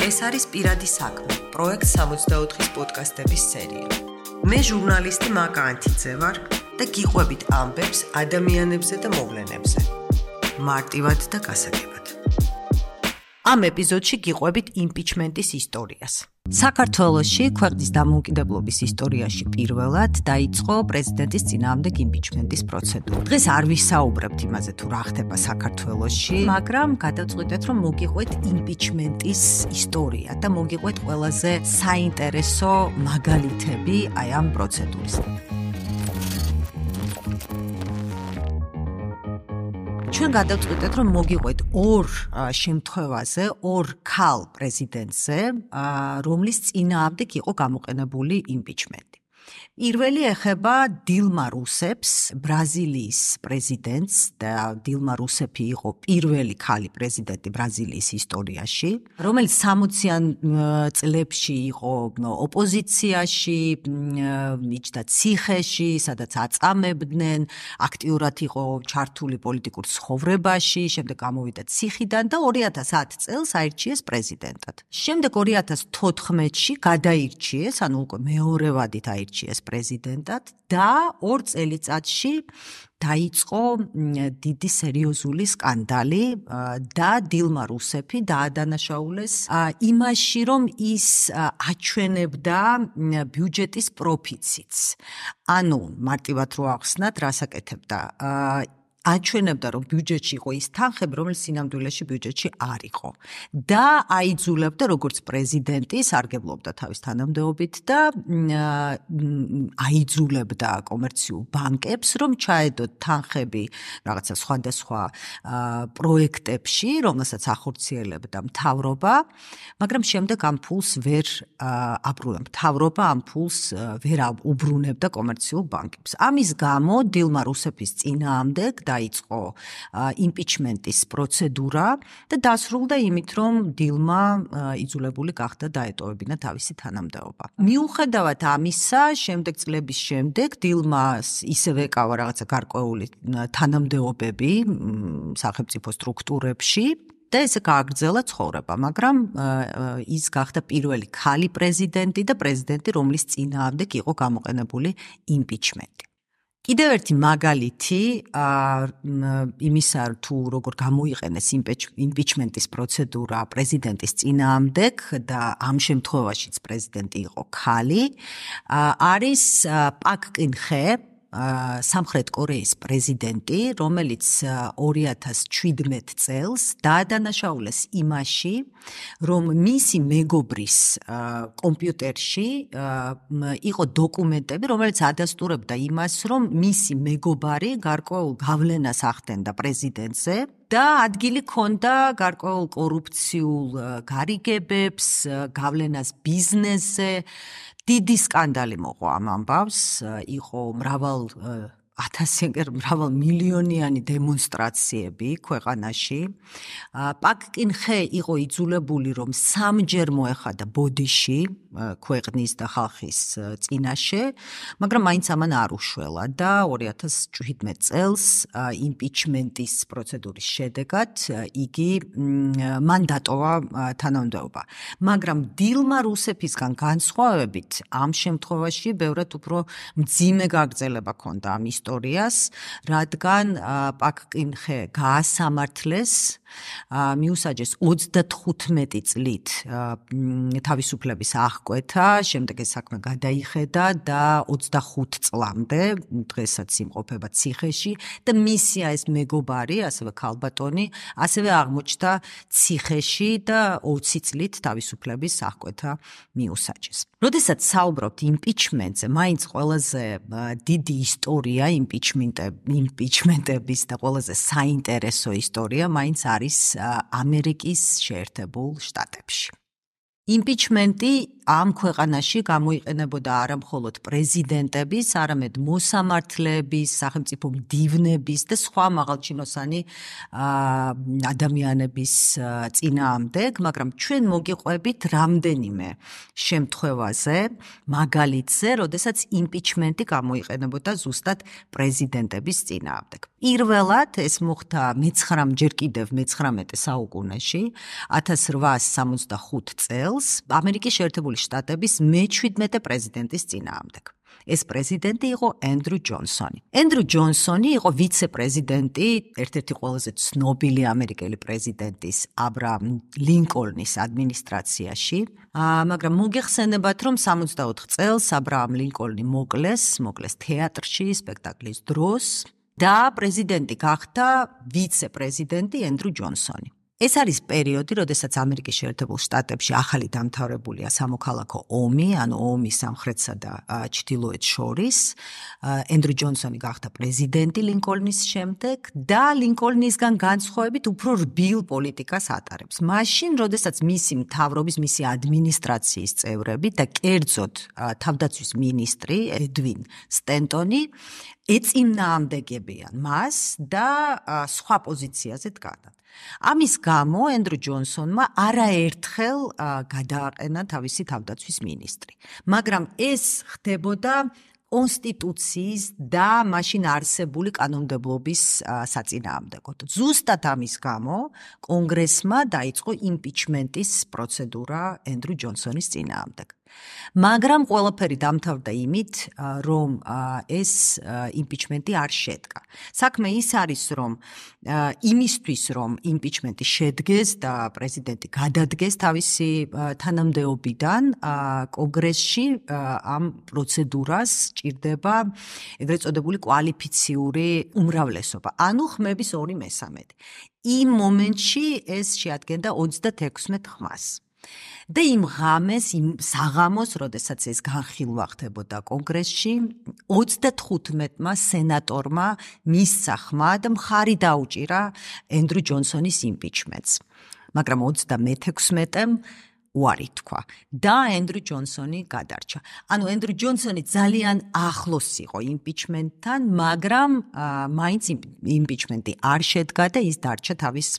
ეს არის პირადი საქმე, პროექტ 64-ის პოდკასტების სერია. მე ჟურნალისტი მაკა ანთიძე ვარ და გიყვებით ამბებს ადამიანებზე და მოვლენებზე. მარტივად და გასაგებად. ამ ეპიზოდში გიყვებით იმპიჩმენტის ისტორიას. საქართველოში ქვეყნის დამოუკიდებლობის ისტორიაში პირველად დაიწყო პრეზიდენტის წინააღმდეგ იმპიჩმენტის პროცედურა. დღეს არ ვისაუბრებთ იმაზე თუ რა ხდება საქართველოში, მაგრამ გადავწყვიტეთ რომ მოგიყვეთ იმპიჩმენტის ისტორია და მოგიყვეთ ყველაზე საინტერესო მაგალითები აი ამ პროცედურის. ჩვენ გადავწყვიტეთ რომ მოგიყვეთ ორ შემთხვევაზე, ორ ქალ პრეზიდენტზე, რომლის წინააღმდეგ იყო გამოყენებული იმპიჩმენტი. პირველი ეხება დილმა რუსეფს, ბრაზილიის პრეზიდენტს და დილმა რუსეფი იყო პირველი ქალი პრეზიდენტი ბრაზილიის ისტორიაში, რომელიც 60-იან წლებში იყო ოპოზიციაში, მიჯდა ციხეში, სადაც აწამებდნენ, აქტიურად იყო ჩართული პოლიტიკურ ცხოვრებაში, შემდეგ გამოვიდა ციხიდან და 2010 წელს აირჩიეს პრეზიდენტად. შემდეგ 2014-ში გადაირჩიეს, ანუ უკვე მეორე ვადით აირჩიეს პრეზიდენტად და 2 წელიწადში დაიწყო დიდი სერიოზული სკანდალი და დილმა რუსეფი დაადანაშაულეს იმაში, რომ ის აჩვენებდა ბიუჯეტის პროფიციტს. ანუ მარტივად რო ახსნათ, რას აკეთებდა? აჩვენებდა, რომ ბიუჯეტში იყო ის თანხები, რომელიც სინამდვილეში ბიუჯეტში არ იყო. და აიძულებდა, როგორც პრეზიდენტი, სარგებლობდა თავის თანამდებობით და აიძულებდა კომერციულ ბანკებს, რომ ჩაედოთ თანხები რაღაცა სხვადასხვა პროექტებში, რომელსაც ახორციელებდა მთავრობა, მაგრამ შემდეგ ამ ფულს ვერ აბრუნებდა. მთავრობა ამ ფულს ვერ უბრუნებდა კომერციულ ბანკებს. ამის გამო დილმა რუსეფის წინააღმდეგ დაიწყო იმპიჩმენტის პროცედურა და დასრულდა იმით, რომ დილმა იძულებული გახდა დაეტოვებინა თავისი თანამდებობა. მიუხედავად ამისა, შემდეგ წლების შემდეგ დილმას ისევ ეკავა რაღაცა გარკვეული თანამდებობები სახელმწიფო სტრუქტურებში და ესე გააგრძელა ცხოვრება, მაგრამ ის გახდა პირველი ქალი პრეზიდენტი და პრეზიდენტი, რომლის წინააღმდეგ იყო გამოყენებული იმპიჩმენტი. კიდევ ერთი მაგალითი იმისა, თუ როგორ გამოიყენეს იმპიჩმენტის პროცედურა პრეზიდენტის წინააღმდეგ და ამ შემთხვევაშიც პრეზიდენტი იყო ქალი, არის პაკ კინ ხე, სამხრეთ კორეის პრეზიდენტი, რომელიც 2017 წელს დაადანაშაულეს იმაში, რომ მისი მეგობრის კომპიუტერში იყო დოკუმენტები, რომელიც ადასტურებდა იმას, რომ მისი მეგობარი გარკვეულ გავლენას ახდენდა პრეზიდენტზე და ადგილი ჰქონდა გარკვეულ კორუფციულ გარიგებებს, გავლენას ბიზნესზე. დიდი სკანდალი მოყვა ამ ამბავს, იყო მრავალ მილიონიანი დემონსტრაციები ქვეყანაში. პაკ კინ ხე იყო იძულებული, რომ 3-ჯერ მოეხადა ბოდიში ქვეყნის და ხალხის წინაშე, მაგრამ მაინც ამან არ უშველა და 2017 წელს იმპიჩმენტის პროცედურის შედეგად იგი მან დატოვა თანამდებობა. მაგრამ დილმა რუსეფისგან განსხვავებით, ამ შემთხვევაში ბევრად უფრო მძიმე გაგრძელება ჰქონდა ამ ისტორიას, რადგან პაკ კინ ხე გაასამართლეს, მიუსაჯეს 35 წლით თავისუფლების აღკვეთა, შემდეგ ეს საქმე გადაიხედა და 25 წლამდე, დღესაც იმყოფება ციხეში და მისი ეს მეგობარი, ასევე ქალბატონი, ასევე აღმოჩნდა ციხეში და 20 წლით თავისუფლების აღკვეთა მიუსაჯეს. როდესაც საუბრობთ იმპიჩმენტზე, მაინც ყველაზე დიდი ისტორია იმპიჩმენტების და ყველაზე საინტერესო ისტორია მაინც არის ამერიკის შეერთებულ შტატებში. იმპიჩმენტი ამ ქვეყანაში გამოიყენებოდა არა მხოლოდ პრეზიდენტების, არამედ მოსამართლეების, სახელმწიფო მდივნების და სხვა მაღალჩინოსანი ადამიანების წინააღმდეგ, მაგრამ ჩვენ მოგიყვებით რამდენიმე შემთხვევაზე, მაგალითზე, როდესაც იმპიჩმენტი გამოიყენებოდა ზუსტად პრეზიდენტების წინააღმდეგ. პირველად ეს მოხდა ჯერ კიდევ მე-19 საუკუნეში, 1865 წელს, ამერიკის შეერთებული შტატების მე-17 პრეზიდენტის წინააღმდეგ. ეს პრეზიდენტი იყო ენდრუ ჯონსონი. ენდრუ ჯონსონი იყო ვიცე-პრეზიდენტი ერთ-ერთი ყველაზე ცნობილი ამერიკელი პრეზიდენტის აბრაამ ლინკოლნის ადმინისტრაციაში, მაგრამ მოგეხსენებათ, რომ 64 წელს აბრაამ ლინკოლნი მოკლეს თეატრში სპექტაკლის დროს და პრეზიდენტი გახდა ვიცე-პრეზიდენტი ენდრუ ჯონსონი. ეს არის პერიოდი, როდესაც ამერიკის შეერთებულ შტატებში ახალი დამთავრებულია სამოქალაქო ომი, ანუ ომი სამხრეთსა და ჩრდილოეთს შორის. ენდრუ ჯონსონი გახდა პრეზიდენტი ლინკოლნის შემდეგ და ლინკოლნისგან განსხვავებით უფრო რბილ პოლიტიკას ატარებს. მაშინ, როდესაც მისი მთავრობის, მისი ადმინისტრაციის წევრები და კერძოდ თავდაცვის მინისტრი ედვინ სტენტონი ეწინააღმდეგებიან მას და სხვა პოზიციაზე დგანან. ამის გამო ენდრუ ჯონსონმა არაერთხელ გადააყენა თავისი თავდაცვის მინისტრი. მაგრამ ეს ხდებოდა კონსტიტუციის და მაშინ არსებული კანონმდებლობის საწინააღმდეგოდ. ზუსტად ამის გამო კონგრესმა დაიწყო იმპიჩმენტის პროცედურა ენდრუ ჯონსონის წინააღმდეგ. მაგრამ ყველაფერი დამთავრდა იმით, რომ ეს იმპიჩმენტი არ შედგა. საქმე ის არის, რომ იმისთვის, რომ იმპიჩმენტი შედგეს და პრეზიდენტი გადადგეს თავისი თანამდებობიდან, კონგრესში ამ პროცედურას ჭირდება ეგრეთ წოდებული კვალიფიციური უმრავლესობა, ანუ ხმების 2/3. იმ მომენტში ეს შეადგენდა 36 ხმას. და იმ ღამეს, იმ საღამოს, როდესაც ეს განხილვა ხდებოდა კონგრესში, 35-მა სენატორმა მისცა ხმა და მხარი დაუჭირა ენდრუ ჯონსონის იმპიჩმენტს. მაგრამ 36-მ უარი თქვა და ენდრუ ჯონსონი გადარჩა. ანუ ენდრუ ჯონსონი ძალიან ახლოს იყო იმპიჩმენტთან, მაგრამ მაინც იმპიჩმენტი არ შედგა და ის დარჩა თავის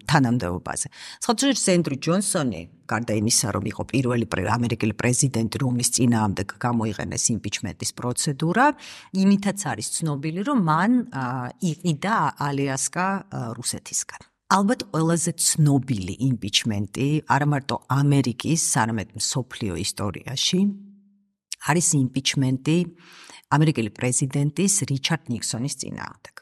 თანამდებობაზე. სხვადასხვა ენდრუ ჯონსონი, გარდა იმისა, რომ იყო პირველი ამერიკელი პრეზიდენტი, რომლის წინააღმდეგ გამოიყენეს იმპიჩმენტის პროცედურა, იმითაც არის ცნობილი, რომ მან იყიდა ალიასკა რუსეთისგან. ალბათ ყველაზე ცნობილი იმპიჩმენტი არა მარტო ამერიკის, არამედ მსოფლიო ისტორიაში არის იმპიჩმენტი ამერიკელი პრეზიდენტის რიჩარდ ნიქსონის წინააღმდეგ.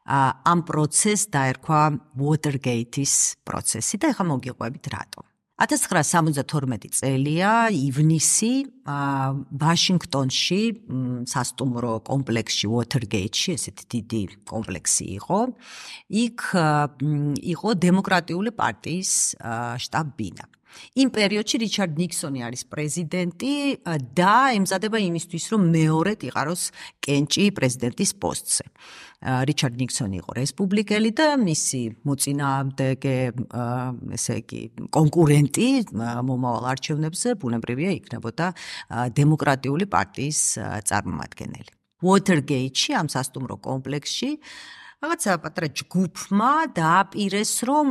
ამ პროცესს დაერქვა Watergate-ის პროცესი და ეხლა მოგიყვებით რატომ. 1972 წელია ივნისი ვაშინგტონში სასტუმრო კომპლექსში Watergate-ში, ესეთი დიდი კომპლექსი იყო. იქ იყო დემოკრატიული პარტიის შტაბ-ბინა. იმ პერიოდში რიჩარდ ნიქსონი არის პრეზიდენტი და ემზადება იმისთვის, რომ მეორედ იყაროს კენჭი პრეზიდენტის პოსტზე. რიჩარდ ნიქსონი იყო რესპუბლიკელი და მისი მოწინააღმდეგე, ესე იგი, კონკურენტი მომავალ არჩევნებზე ბუნებრივია იქნებოდა დემოკრატიული პარტიის წარმომადგენელი. Watergate-ში, ამ სასტუმრო კომპლექსში რაღაცა პატარა ჯგუფმა დააპირეს, რომ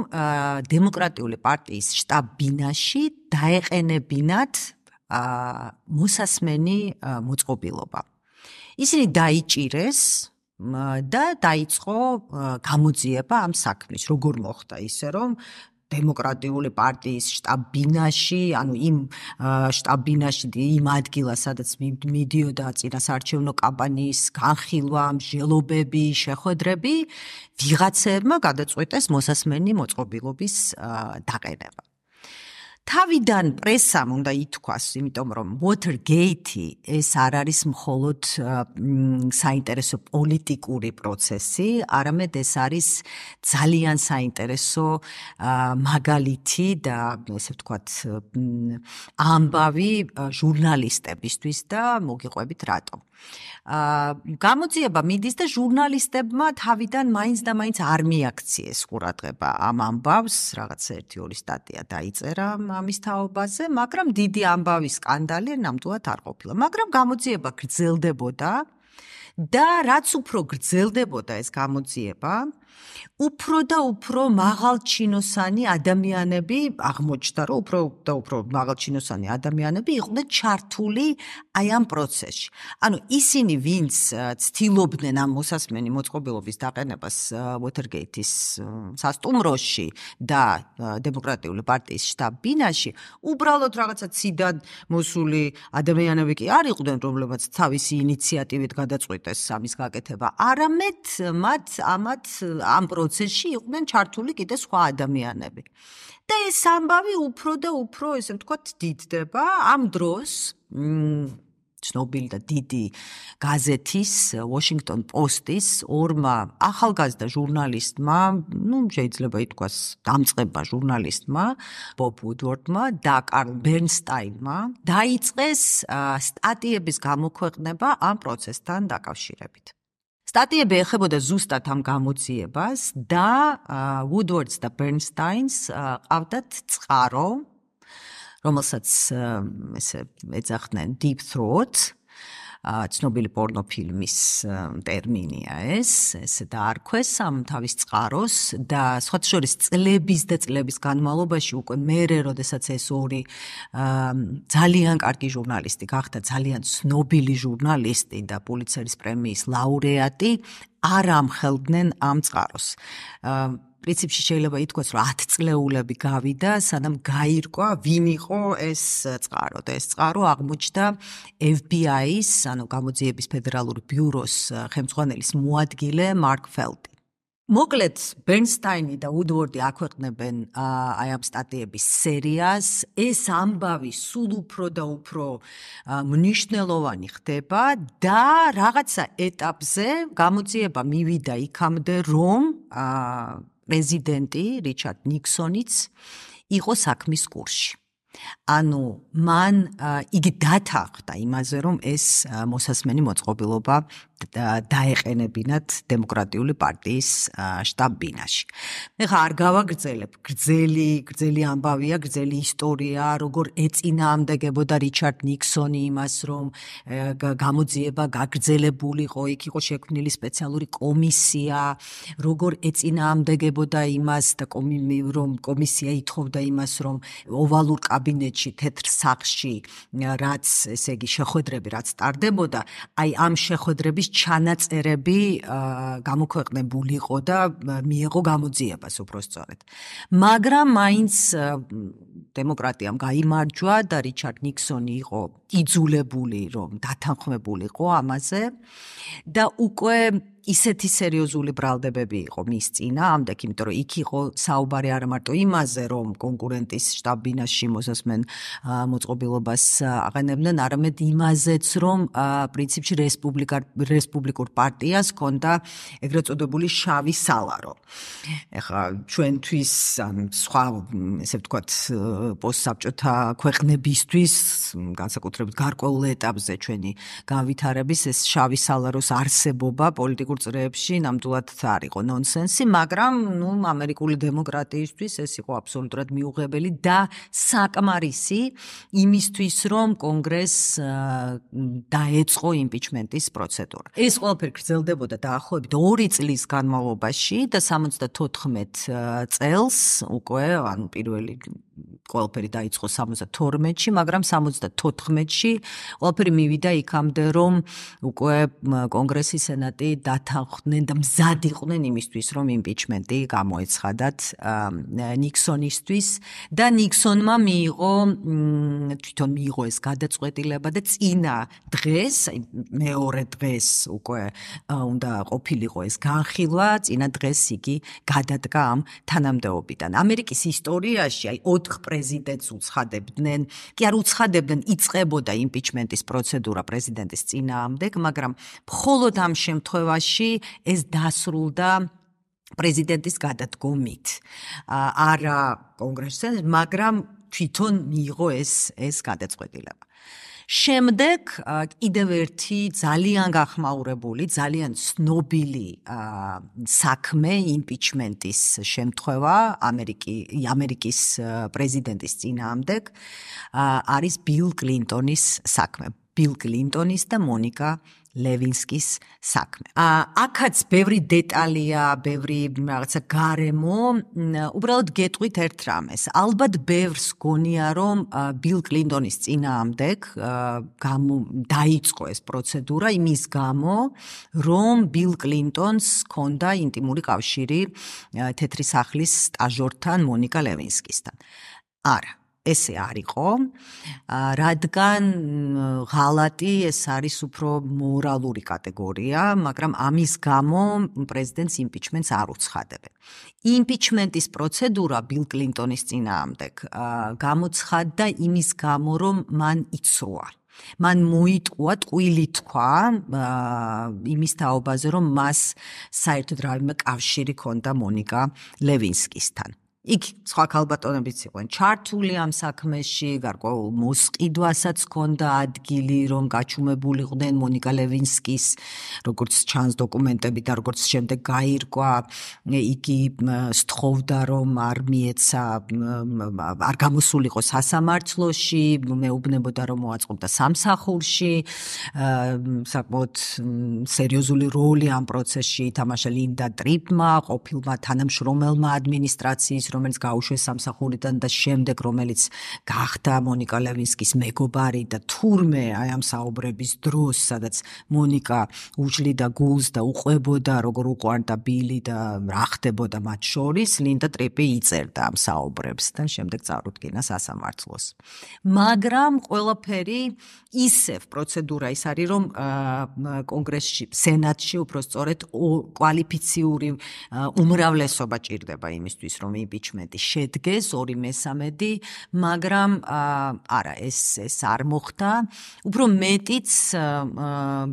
დემოკრატიული პარტიის შტაბ-ბინაში დაეყენებინათ მოსასმენი მოწყობილობა. ისინი დაიჭირეს და დაიწყო გამოძიება ამ საქმის. როგორ მოხდა ისე, რომ დემოკრატიული პარტიის შტაბ-ბინაში, ანუ იმ შტაბ-ბინაში, იმ ადგილას, სადაც მიდიოდა წინასაარჩევნო კამპანიის განხილვა, მსჯელობები, შეხვედრები, ვიღაცებმა გადაწყვეტეს მოსასმენი მოწყობილობის დაყენება. თავიდან პრესამ უნდა ითქვას, იმიტომ რომ Watergate ეს არ არის მხოლოდ საინტერესო პოლიტიკური პროცესი, არამედ ეს არის ძალიან საინტერესო მაგალითი და ესე ვთქვათ ამბავი ჟურნალისტებისთვის და მოგიყვებით რატომ. გამოძიება მიდის და ჟურნალისტებმა თავიდან მაინც არ მიაქციეს ყურადღება ამ ამბავს, რაღაც 1-2 სტატია დაიწერა ამის თაობაზე, მაგრამ დიდი ამბავი სკანდალი ნამდვილად არ ყოფილა. მაგრამ გამოძიება გრძელდებოდა და რაც უფრო გრძელდებოდა ეს გამოძიება, უფრო და უფრო მაღალჩინოსანი ადამიანები აღმოჩნდა, რომ უფრო მაღალჩინოსანი ადამიანები იყვნენ ჩართული აი ამ პროცესში. ანუ ისინი, ვინც ცდილობდნენ ამ მოსასმენი მოწყობილობის დაყენებას Watergate-ის სასტუმროში და დემოკრატიული პარტიის შტაბ-ბინაში, უბრალოდ რაღაცა ციდან მოსული ადამიანები კი არ იყვნენ, რომლებმაც თავისი ინიციატივით გადაწყვიტეს ამის გაკეთება, არამედ მათ ამ პროცესში იყვნენ ჩართული კიდე სხვა ადამიანები. და ეს ამბავი უფრო და უფრო, ესე ვთქვათ, დიდდება. ამ დროს ცნობილი და დიდი გაზეთის Washington Post-ის ორმა ახალგაზრდა ჟურნალისტმა, შეიძლება ითქვას დამწყება ჟურნალისტმა, Bob Woodward-მა და Carl Bernstein-მა დაიწყეს სტატიების გამოქვეყნება ამ პროცესთან დაკავშირებით. სტატიები ეხებოდა ზუსტად ამ გამოძიებას და Woodwards და Bernsteins ყავდათ წყარო, რომელსაც ესე ეძახდნენ Deep Throat, ცნობილი პორნოფილმის ტერმინია ესე დაარქვეს ამ თავის წყაროს და სხვათა შორის წლების და წლების განმავლობაში უკვე მერე, როდესაც ეს ორი ძალიან კარგი ჟურნალისტი გახდა, ძალიან ცნობილი ჟურნალისტი და პულიცერის პრემიის ლაურეატი, არ ამხელდნენ ამ წყაროს. პრინციპში შეიძლება ითქვას, რომ 10 წლეულები გავიდა, სანამ გაირკვა, ვინ იყო ეს წყარო. და ეს წყარო აღმოჩნდა FBI-ის, ანუ გამოძიების ფედერალური ბიუროს ხელმძღვანელის მოადგილე მარკ ფელდი. მოკლედ, Bernstein და Woodward აქვეყნებენ აი ამ სტატიების სერიას, ეს ამბავი სულ უფრო და უფრო მნიშვნელოვანი ხდება და რაღაცა ეტაპზე გამოძიება მივიდა იქამდე, რომ პრეზიდენტი რიჩარდ ნიქსონიც იყო საქმის კურსში. ანუ მან იგი დათანხმდა იმაზე, რომ ეს მოსასმენი მოწყობილობა დაეყენებინათ დემოკრატიული პარტიის შტაბ-ბინაში. ეხლა არ გავაგრძელებ, გრძელი ამბავია, გრძელი ისტორია, როგორ ეწინააღმდეგებოდა რიჩარდ ნიქსონი იმას, რომ გამოძიება გაგრძელებულიყო, იქ იყო შექმნილი სპეციალური კომისია, როგორ ეწინააღმდეგებოდა იმას და რომ კომისია ითხოვდა იმას, რომ ოვალურ კაბინეტში, თეთრ სახლში, რაც ესე იგი შეხვედრები რაც ტარდებოდა, აი ამ შეხვედრების ჩანაწერები გამოქვეყნებულიყო და მიეღო გამოძიებას უბრალოდ. მაგრამ მაინც დემოკრატიამ გაიმარჯვა და რიჩარდ ნიქსონი იყო იძულებული, რომ დათანხმებულიყო ამაზე და უკვე ისეთი სერიოზული ბრალდებები იყო მის წინააღმდეგ, იმიტომ რომ იქ იყო საუბარი არა მარტო იმაზე, რომ კონკურენტის შტაბ-ბინაში მოსასმენ მოწყობილობას აყენებდნენ, არამედ იმაზეც, რომ პრინციპში რესპუბლიკურ პარტიას ჰქონდა ეგრეთ წოდებული შავი სალარო. ეხლა ჩვენთვის სხვა, ესე ვთქვათ, პოსტსაბჭოთა ქვეყნებისთვის, განსაკუთრებით გარკვეულ ეტაპზე ჩვენი განვითარების ეს შავი სალაროს არსებობა პოლიტიკურ წრეებში ნამდვილად არ იყო ნონსენსი, მაგრამ ამერიკული დემოკრატიისთვის ეს იყო აბსოლუტურად მიუღებელი და საკმარისი იმისთვის, რომ კონგრესს დაეწყო იმპიჩმენტის პროცედურა. ეს ყველაფერი გრძელდებოდა დაახლოებით 2 წლის განმავლობაში და 74 წელს უკვე, ანუ პირველი ყველაფერი დაიწყო 72-ში, მაგრამ 74-ში ყველაფერი მივიდა იქამდე, რომ უკვე კონგრესი, სენატი დათანხმდნენ და მზად იყვნენ იმისთვის, რომ იმპიჩმენტი გამოეცხადათ ნიქსონისთვის და ნიქსონმა თვითონ მიიღო ეს გადაწყვეტილება და წინა დღეს, მეორე დღეს უკვე უნდა ყოფილიყო ეს განხილვა, წინა დღეს იგი გადადგა ამ თანამდებობიდან. ამერიკის ისტორიაში აი 4 პრეზიდენტს უცხადებდნენ, კი არ უცხადებდნენ, იწყებოდა იმპიჩმენტის პროცედურა პრეზიდენტის წინააღმდეგ, მაგრამ მხოლოდ ამ შემთხვევაში ეს დასრულდა პრეზიდენტის გადადგომით. არა კონგრესზე, მაგრამ თვითონ მიიღო ეს გადაწყვეტილება. შემდეგ კიდევ ერთი ძალიან გახმაურებული, ძალიან ცნობილი საქმე იმპიჩმენტის შემთხვევა ამერიკის პრეზიდენტის წინააღმდეგ არის ბილ კლინტონის საქმე. ბილ კლინტონის და მონიკა ლევინსკის საქმე. აქაც ბევრი დეტალია, ბევრი რაღაცა გარემო, უბრალოდ გეტყვით ერთ რამეს. ალბათ ბევრს გონია, რომ ბილ კლინტონის წინააღმდეგ დაიწყო ეს პროცედურა იმის გამო, რომ ბილ კლინტონს ჰქონდა ინტიმური კავშირი თეთრი სახლის სტაჟორთან მონიკა ლევინსკისთან. არა. ესე არ იყო, რადგან ღალატი ეს არის უფრო მორალური კატეგორია, მაგრამ ამის გამო პრეზიდენტს იმპიჩმენტს არ უცხადებენ. იმპიჩმენტის პროცედურა ბილ კლინტონის წინააღმდეგ გამოცხადდა იმის გამო, რომ მან იცრუა. მან მოიტყუა, ტყუილი თქვა იმის თაობაზე, რომ მას საერთოდ რაიმე კავშირი ჰქონდა მონიკა ლევინსკისთან. იქ სხვა ქალბატონებიც იყვნენ ჩართული ამ საქმეში, გარკვეულ მოსყიდვასაც ჰქონდა ადგილი, რომ გაჩუმებულიყვნენ მონიკა ლევინსკის, როგორც ჩანს დოკუმენტები და როგორც შემდეგ გაირკვა, იგი სთხოვდა, რომ არ მიეცა, არ გამოსულიყო სასამართლოში, მეუბნებოდა, რომ მოაწყობდა სამსახურში, საკმაოდ სერიოზული როლი ამ პროცესში ითამაშა ლინდა ტრიპმა, ყოფილმა თანამშრომელმა ადმინისტრაციის, რომელიც გაუშვეს სამსახურიდან და შემდეგ რომელიც გახდა მონიკა ლევინსკის მეგობარი და თურმე აი ამ საუბრების დროს, სადაც მონიკა უჭლიდა გულს და უყვებოდა როგორ უყვარდა ბილი და რა ხდებოდა მათ შორის, ლინდა ტრიპი იწერდა ამ საუბრებს და შემდეგ წარუდგინა სასამართლოს. მაგრამ ყველაფერი ისევ პროცედურა ის არის, რომ კონგრესში, სენატში უпростоრედ კვალიფიციური უმრავლესობა ჭირდება იმისთვის, რომ იმპიჩმენტი შედგეს 2/3, მაგრამ არა, ეს არ მოხდა. უფრო მეტიც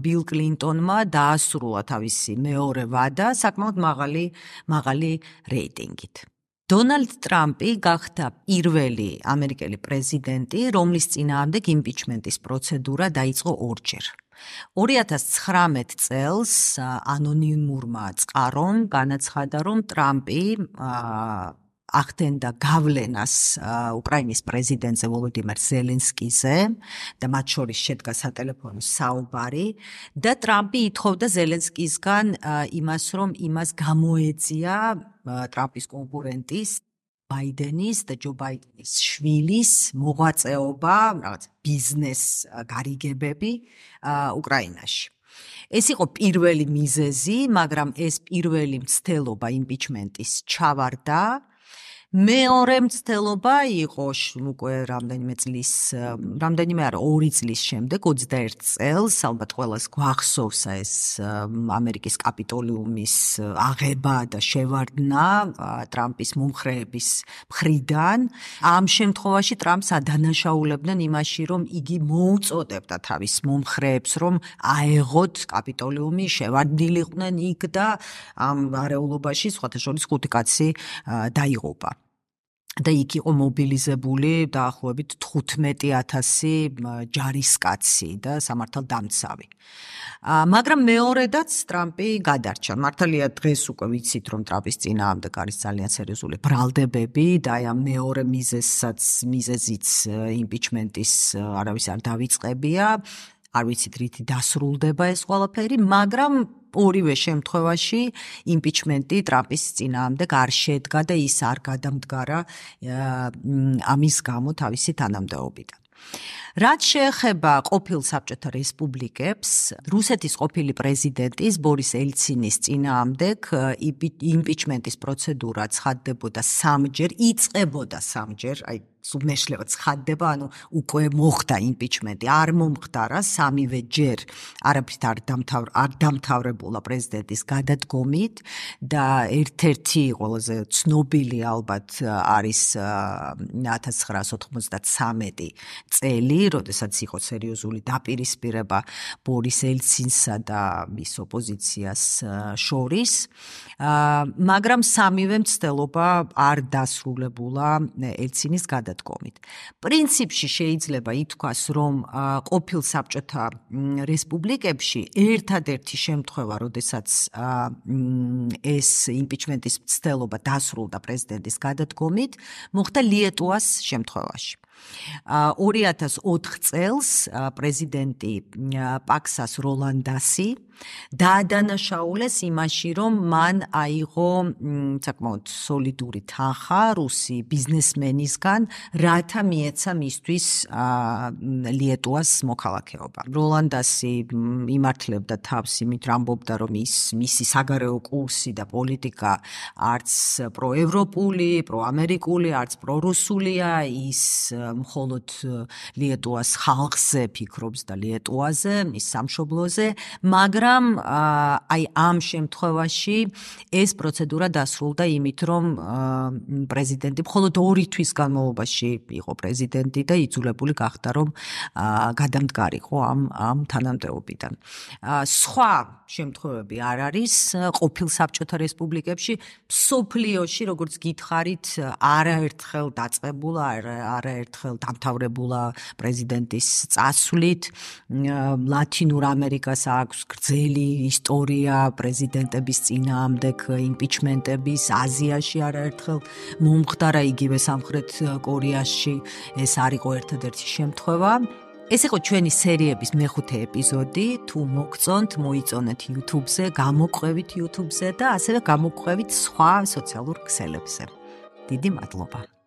ბილ კლინტონმა დაასრულა თავისი მეორე ვადა საკმაოდ მაღალი რეიტინგით. დონალდ ტრამპი გახდა პირველი ამერიკელი პრეზიდენტი, რომლის წინააღმდეგ იმპიჩმენტის პროცედურა დაიწყო ორჯერ. 2019 წელს ანონიმურმა წყარომ განაცხადა, რომ ტრამპი ახდენდა გავლენას უკრაინის პრეზიდენტზე ვოლოდიმირ ზელენსკიზე და მათ შორის შედგა სატელეფონო საუბარი და ტრამპი ითხოვდა ზელენსკისგან იმას, რომ იმას გამოეძია ტრამპის კონკურენტის ბაიდენის და ჯო ბაიდენის შვილის მოღვაწეობა, რაღაც ბიზნეს გარიგებები უკრაინაში. ეს იყო პირველი მიზეზი, მაგრამ ეს პირველი მცდელობა იმპიჩმენტის ჩავარდა. მეორე მცდელობა იყო უკვე რამდენიმე არა 2 წლის შემდეგ, 21 წელს, ალბათ ყველას გვახსოვს ეს ამერიკის კაპიტოლიუმის აღება და შევარდნა ტრამპის მომხრეების მხრიდან. ამ შემთხვევაში ტრამპს ადანაშაულებდნენ იმაში, რომ იგი მოუწოდებდა თავის მომხრეებს, რომ აეღოთ კაპიტოლიუმი, შევარდნილიყვნენ იქ და ამ არეულობაში სხვათა შორის 5 კაცი დაიღუპა. და იქ იყო მობილიზებული დაახლოებით 15,000 ჯარისკაცი და სამართალდამცავი. მაგრამ მეორედაც ტრამპი გადარჩა. მართალია დღეს უკვე ვიცით, რომ ტრამპის წინააღმდეგ არის ძალიან სერიოზული ბრალდებები და აი ამ მეორე მიზეზიც იმპიჩმენტის არავის არ დავიწყებია. არ ვიცით რითი დასრულდება ეს ყველაფერი, მაგრამ ორივე შემთხვევაში იმპიჩმენტი ტრამპის წინააღმდეგ არ შედგა და ის არ გადამდგარა ამის გამო თავისი თანამდებობიდან. რაც შეეხება ყოფილ საბჭოთა რესპუბლიკებს, რუსეთის ყოფილი პრეზიდენტის ბორის ელცინის წინააღმდეგ იმპიჩმენტის პროცედურა ცხადდებოდა 3-ჯერ, იწყებოდა 3-ჯერ, აი სუბმეშლება ცხადდება, ანუ უკვე მოხდა იმპიჩმენტი, არ მომხდარა 3-ვე ჯერ არაფრით არ დამთავრებულა პრეზიდენტის გადადგომით და ერთ-ერთი ყველაზე ცნობილი ალბათ არის 1993 წელი, როდესაც იყო სერიოზული დაპირისპირება ბორის ელცინსა და მის ოპოზიციას შორის, მაგრამ სამივე მცდელობა არ დასრულებულა ელცინის გადადგომით. პრინციპში შეიძლება ითქვას, რომ ყოფილ საბჭოთა რესპუბლიკებში ერთადერთი შემთხვევა, როდესაც ეს იმპიჩმენტის მცდელობა დასრულდა პრეზიდენტის გადადგომით, მოხდა ლიეტუას შემთხვევაში. 2004 წელს პრეზიდენტი პაქსას როლანდასი დაადანაშაულეს იმაში, რომ მან აიღო საკმაოდ სოლიდური თანხა რუსი ბიზნესმენისგან, რათა მიეცა მისთვის ლიეტუას მოქალაქეობა. როლანდასი იმართლებდა თავს იმით, ამბობდა, რომ მისი საგარეო კურსი და პოლიტიკა არც პროევროპული, პროამერიკული, არც პრორუსულია, ის მხოლოდ ლიეტუას ხალხზე ფიქრობს და ლიეტუაზე, მის სამშობლოზე, მაგრამ აი ამ შემთხვევაში ეს პროცედურა დასრულდა იმით, რომ პრეზიდენტი მხოლოდ 2 თვის განმავლობაში იყო პრეზიდენტი და იძულებული გახდა, რომ გადამდგარიყო ამ თანამდებობიდან. სხვა შემთხვევები არ არის ყოფილ საბჭოთა რესპუბლიკებში, მსოფლიოში, როგორც გითხარით, არაერთხელ დაწყებულა, არაერთხელ დამთავრებულა პრეზიდენტის წასვლით. ლათინურ ამერიკას აქვს გრძელი ისტორია პრეზიდენტების წინააღმდეგ იმპიჩმენტების, აზიაში არაერთხელ მომხდარა, იგივე სამხრეთ კორეაში ეს არ იყო ერთადერთი შემთხვევა. ეს იყო ჩვენი სერიების მეხუთე ეპიზოდი. თუ მოგწონთ, მოიწონეთ YouTube-ზე, გამოგვყევით YouTube-ზე და ასევე გამოგვყევით სხვა სოციალურ ქსელებზე. დიდი მადლობა.